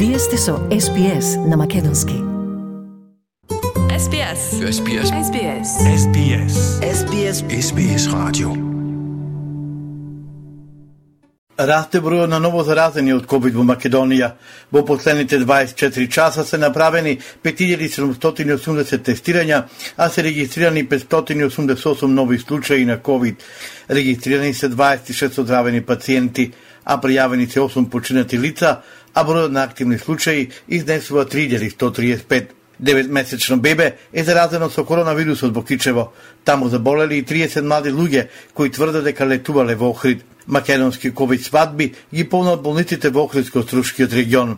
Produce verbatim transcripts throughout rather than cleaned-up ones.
Вие сте со Ес Би Ес на македонски. Ес Би Ес. Ес Би Ес. Ес Би Ес. Ес Би Ес. Ес Би Ес. Ес Би Ес радио. Расте бројот на ново заразени од ковид во Македонија. Во последните дваесет и четири часа се направени пет илјади седумстотини и осумдесет тестирања, а се регистрирани петстотини и осумдесет и осум нови случаи на ковид. Регистрирани се дваесет и шест оздравени пациенти, а пријавени се осум починати лица, а бројот на активни случаи изнесува три илјади сто триесет и пет. Деветмесечно бебе е заразено со коронавирусот во Кичево. Таму заболели и триесет млади луѓе кои тврдат дека летувале во Охрид. Македонски ковид свадби ги полнат болниците во Охридско-Струшкиот регион.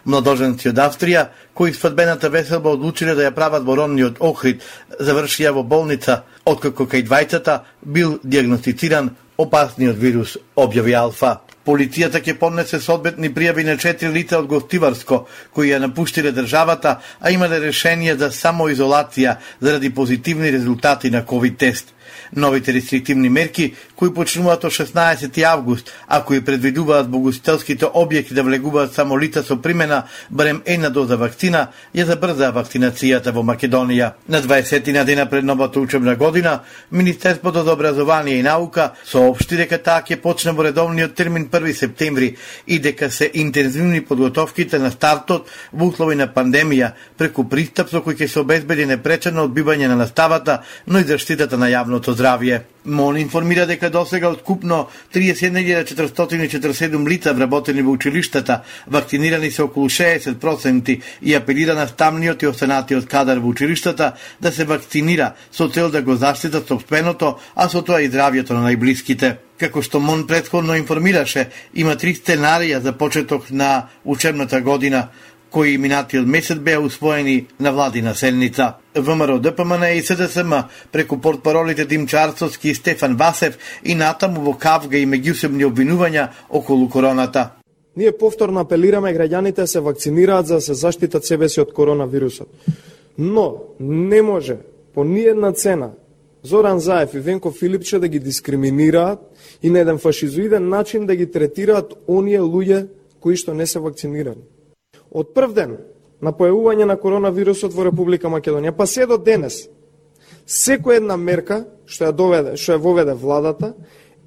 Младоженци од Австрија, кои свадбената веселба одлучиле да ја прават во родниот Охрид, завршија во болница, откако кај двајцата бил диагностициран опасниот вирус објави алфа. Полицијата ќе поднесе соодветни пријави на четири лица од Гостиварско, кои ја напуштиле државата, а имале решение за самоизолација заради позитивни резултати на ковид тест. Новите рестриктивни мерки, кои почнуваат од шеснаесети август, а кои предвидуваат во ugostителските објекти да влегуваат само лица со примена барем една доза вакцина, ја забрзаа вакцинацијата во Македонија. На дваесетина дена пред новата учебна година, Министерството за образование и наука соопшти дека таа ќе почне во редовниот термин први септември и дека се интензивни подготовките на стартот во услови на пандемија преку пристап со кој ќе се обезбеди непречено одбивање на наставата, но и заштитата на јавното здравје. МОН информира дека досега од купно триесет и една илјада четиристотини и четиридесет и седум лица вработени во училиштата, вакцинирани се околу шеесет проценти и апелира на стамниот и останатиот кадар во училиштата да се вакцинира со цел да го заштитат сопственото, а со тоа и здравјето на најблиските. Како што МОН претходно информираше, има три сценарија за почеток на учебната година, кои минатиот месец беа усвоени на владина седница. ВМРО Д П М Н и С Д С М преку портпаролите Димчо Арцовски и Стефан Васев и натаму во кавга и меѓусебни обвинувања околу короната. Ние повторно апелираме граѓаните да се вакцинираат за да се заштитат себе си од коронавирусот. Но не може по ниедна цена Зоран Заев и Венко Филипче да ги дискриминираат и на еден фашизоиден начин да ги третираат оние луѓе кои што не се вакцинирани. Од прв ден на појавување на коронавирусот во Република Македонија, па се до денес, секоја една мерка што ја доведе, што ја воведе владата,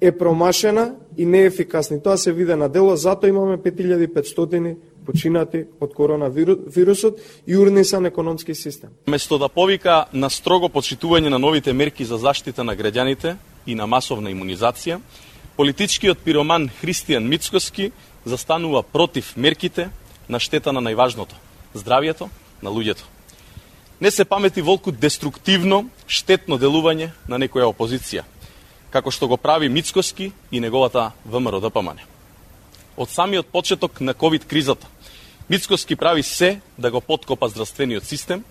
е промашена и неефикасна. Тоа се виде на дело, затоа имаме пет илјади и петстотини починати од коронавирусот и урнисан економски систем. Место да повика на строго почитување на новите мерки за заштита на граѓаните и на масовна имунизација, политичкиот пироман Христијан Мицкоски застанува против мерките на штета на најважното – здравјето на луѓето. Не се памети волку деструктивно, штетно делување на некоја опозиција, како што го прави Мицкоски и неговата ВМРО Д П М Н. Од самиот почеток на ковид кризата, Мицкоски прави се да го поткопа здравствениот систем,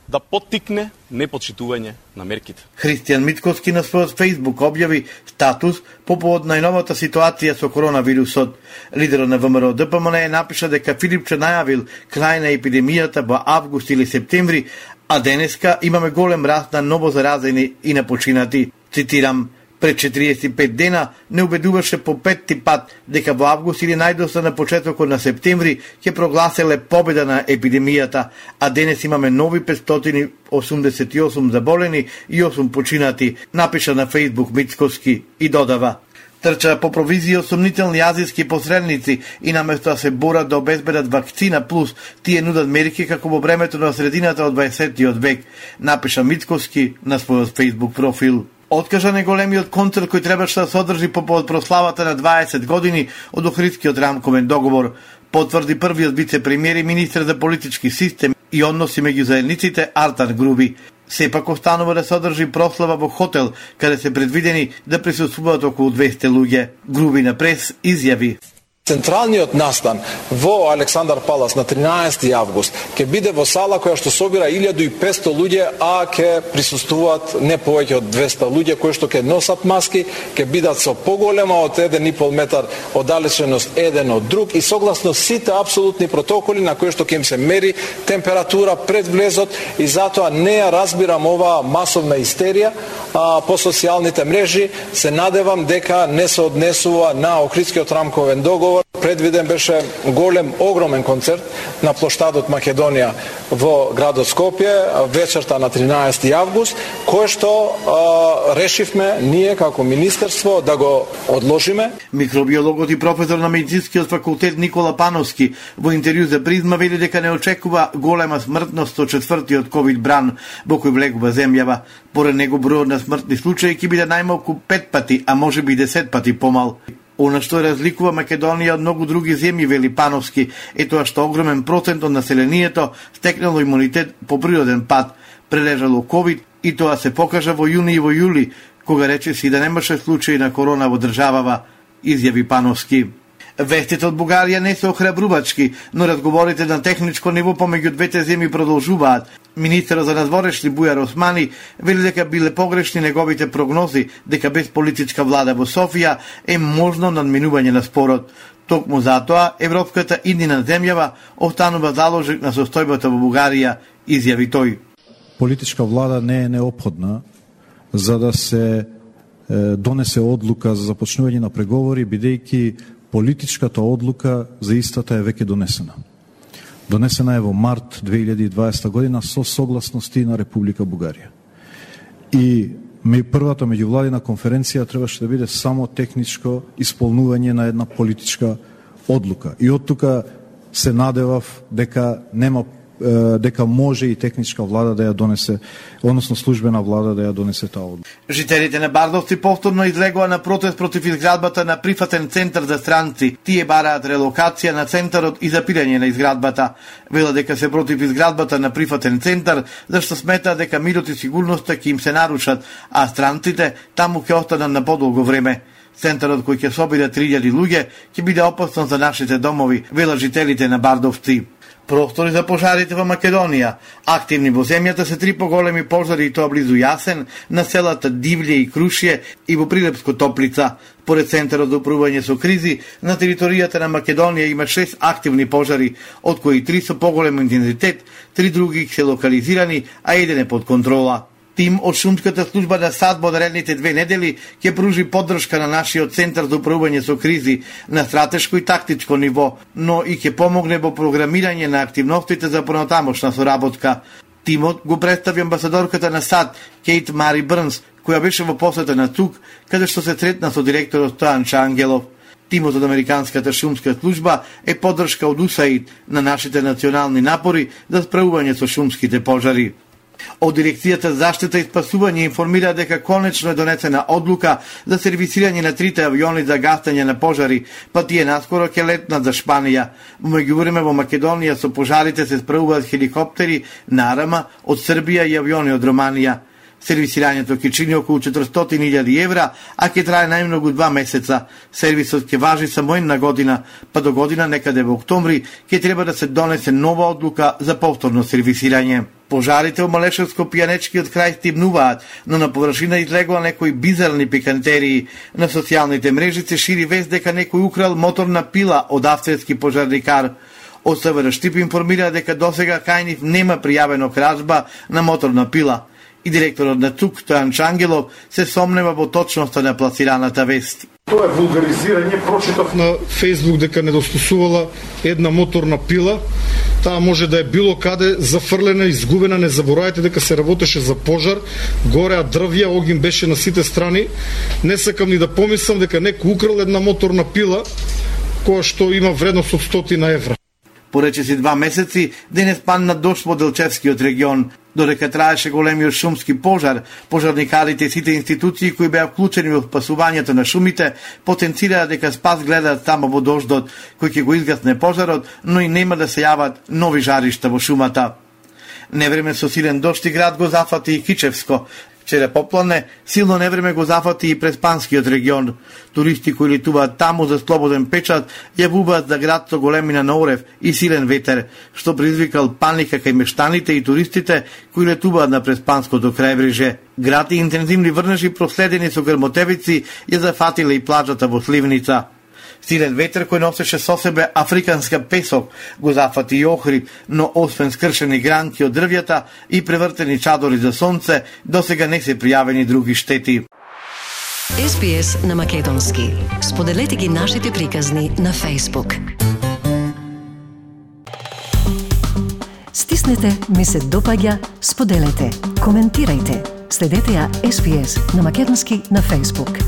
да поттикне непочитување на мерките. Христијан Мицкоски на својот Facebook објави статус по повод најновата ситуација со коронавирусот. Лидерот на ВМРО Д П М Н напиша дека Филипче најавил крај на епидемијата во август или септември, а денеска имаме голем раст на ново заразени и на починати. Цитирам: пред четириесет и пет дена не убедуваше по петти пат дека во август или најдоста на почетокот на септември ќе прогласеле победа на епидемијата, а денес имаме нови петстотини осумдесет и осум заболени и осум починати, напиша на Facebook Мицкоски и додава: трча по провизија сомнителни азиски посредници и наместо да се борат да обезбедат вакцина плюс, тие нудат мерки како во времето на средината од дваесеттиот век, напиша Мицкоски на својот Facebook профил. Откажан е големиот концерт кој требаше да се одржи по повод прославата на дваесет години од Охридскиот рамковен договор, потврди првиот вице-премиер и министер за политички систем и односи меѓу заедниците Артан Груби. Сепак останува да се одржи прослава во хотел, каде се предвидени да присуствуваат околу двесте луѓе. Груби на прес изјави: Централниот настан во Александар Палас на тринаесети август ќе биде во сала која што собира илјаду и петсто луѓе, а ќе присуствуваат не повеќе од двесте луѓе кои што ќе носат маски, ќе бидат со поголема од еден и пол метар оддалеченост еден од друг и согласно сите апсолутни протоколи на кои што ќе им се мери температура пред влезот, и затоа не ја разбирам оваа масовна истерија а, по социјалните мрежи. Се надевам дека не се однесува на Охридскиот рамковен договор разговор предвиден беше голем, огромен концерт на плоштадот Македонија во градот Скопје вечерта на тринаесети август, кој што а, решивме ние како министерство да го одложиме. Микробиологот и професор на медицинскиот факултет Никола Пановски во интервју за Призма вели дека не очекува голема смртност од четвртиот ковид бран во кој влегува земјава. Поред него бројот на смртни случаи ќе биде најмалку пет пати, а може би десет пати помал. Она што разликува Македонија од многу други земји, вели Пановски, е тоа што огромен процент од населението стекнало имунитет по природен пат, прележало ковид, и тоа се покажа во јуни и во јули, кога рече си да немаше случаи на корона во државава, изјави Пановски. Вестите од Бугарија не се охрабрувачки, но разговорите на техничко ниво помеѓу двете земји продолжуваат. Министерот за надворешни Бујар Османи вели дека биле погрешни неговите прогнози дека без политичка влада во Софија е можно надминување на спорот. Токму затоа европската иднина земјава останува заложник на состојбата во Бугарија, изјави тој. Политичка влада не е неопходна за да се е, донесе одлука за започнување на преговори, бидејќи политичката одлука за истата е веќе донесена. Донесена е во март две илјади и дваесета година со согласности на Република Бугарија. И првата меѓувладина конференција требаше да биде само техничко исполнување на една политичка одлука. И од тука се надевав дека нема дека може и техничка влада да ја донесе, односно службена влада да ја донесе таа одлука. Жителите на Бардовци повторно излегоа на протест против изградбата на прифатен центар за странци. Тие бараат релокација на центарот и запирање на изградбата. Велат дека се против изградбата на прифатен центар, зашто сметаат дека мирот и сигурноста ќе им се нарушат, а странците таму ќе останат на подолго време. Центарот кој ќе собира три илјади луѓе ќе биде опасно за нашите домови, велат жителите на Бардовци. Простори за пожарите во Македонија. Активни во земјата се три поголеми пожари, и тоа близу Јасен, на селата Дивле и Крушје и во Прилепско Топлица. Поред Центарот за управување со кризи, на територијата на Македонија има шест активни пожари, од кои три со поголем интензитет, три други се локализирани, а еден е под контрола. Тим од шумската служба на САД во наредните две недели ќе пружи поддршка на нашиот Центар за управување со кризи на стратешко и тактичко ниво, но и ќе помогне во програмирање на активностите за понатамошна соработка. Тимот го представи амбасадорката на САД, Кейт Мари Брнс, која беше во посета на ЦУК, каде што се сретна со директорот Стојан Чангелов. Тимот од Американската шумска служба е поддршка од УСАИД на нашите национални напори за справување со шумските пожари. Од Дирекцијата за заштита и спасување информира дека конечно е донесена одлука за сервисирање на трите авиони за гасење на пожари, па тие наскоро ќе летнат за Шпанија. Во меѓувреме во Македонија со пожарите се справуваат хеликоптери на Арама од Србија и авиони од Романија. Сервисирањето ќе чини околу четиристотини илјади евра, а ќе трае најмногу два месеца. Сервисот ќе важи само една година, па до година некаде во октомври ќе треба да се донесе нова одлука за повторно сервисирање. Пожарите во Малешевско-Пијанечкиот крај стимнуваат, но на површина излегоа некои бизарни пикантерии. На социјалните мрежи се шири вест дека некој украл моторна пила од австрийски пожарникар. Од СВР Штип информира дека досега кај нив нема пријавено кражба на моторна пила. И директорот на ЦУК Стојан Чангелов се сомнева во точноста на пласираната вест. Тоа е вулгаризирање. Прочитав на Фејсбук дека недостасувала една моторна пила. Таа може да е било каде зафрлена, изгубена. Не заборавајте дека се работеше за пожар. Гореа дрвја, огин беше на сите страни. Не сакам ни да помислам дека некој украл една моторна пила која што има вредност од стотина евра. Порече си два месеци, денес падна дожд во Делчевскиот регион. Додека траеше големиот шумски пожар, пожарникарите и сите институции кои беа вклучени во спасувањето на шумите потенцираа дека спас гледаат само во дождот, кој ќе го изгасне пожарот, но и нема да се јават нови жаришта во шумата. Невреме со силен дожд и град го зафати и Кичевско. Вчера поплане, силно невреме го зафати и Преспанскиот регион. Туристи кои летуваат таму за слободен печат јавуваат за град со големина на орев и силен ветер, што предизвикал паника кај мештаните и туристите кои летуваат на Преспанското крајбрежје. Град и интензивни врнежи проследени со грмотевици ја зафатиле и плажата во Сливница. Силен ветер кој носеше со себе африканска песок го зафати и Охрид, но освен скршени гранки од дрвјата и превртени чадори за сонце, досега не се пријавени други штети. Ес Би Ес на македонски. Споделете ги нашите приказни на Facebook. Стиснете ми се допаѓа, споделете, коментирајте. Следете ја Ес Би Ес на македонски на Facebook.